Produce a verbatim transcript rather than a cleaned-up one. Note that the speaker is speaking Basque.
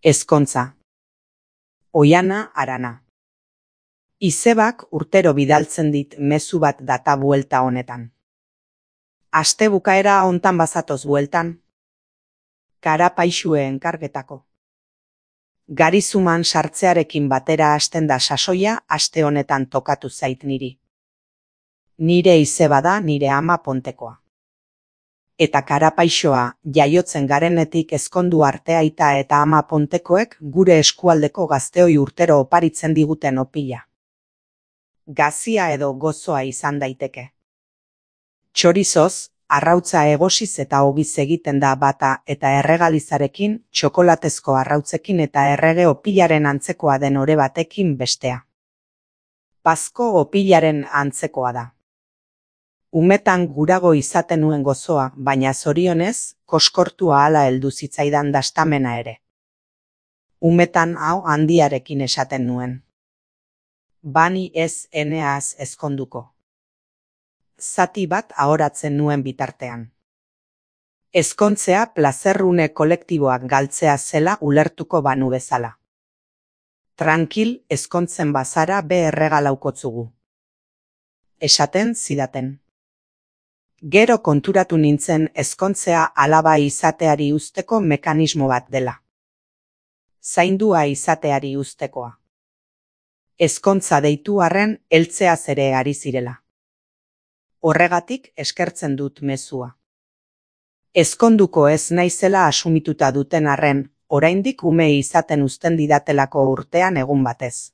Ezkontza. Oiana Arana. Izebak urtero bidaltzen dit mezu bat data buelta honetan. Aste bukaera hontan bazatoz bueltan. Kara paixue enkargetako. Garizuman sartzearekin batera hasten da sasoia aste honetan tokatu zait niri. Nire izeba da nire ama Pontekoa. Eta karapaixoa jaiotzen garenetik ezkondu arte aita eta ama Pontekoek gure eskualdeko gazteoi urtero oparitzen diguten opila. Gazia edo gozoa izan daiteke. Txorizoz, arrautza egosiz eta ogiz egiten da bata eta erregalizarekin, txokolatezko arrautzekin eta errege opilaren antzekoa den ore batekin bestea. Pazko opilaren antzekoa da. Umetan gurago izaten nuen gozoa, baina zorionez, koskortua hala heldu zitzaidan dastamena ere. Umetan hau handiarekin esaten nuen. Bani ez eneaz ezkonduko. Zati bat ahoratzen nuen bitartean. Ezkontzea plazerrune kolektiboak galtzea zela ulertuko banu bezala. Trankil ezkontzen bazara be erregalaukotzugu. Esaten zidaten. Gero konturatu nintzen ezkontzea alaba izateari uzteko mekanismo bat dela. Zaindua izateari uztekoa. Ezkontza deitu arren heltzeaz ere ari zirela. Horregatik eskertzen dut mezua. Ezkonduko ez naizela asumituta duten arren, oraindik ume izaten uzten didatelako urtean egun batez.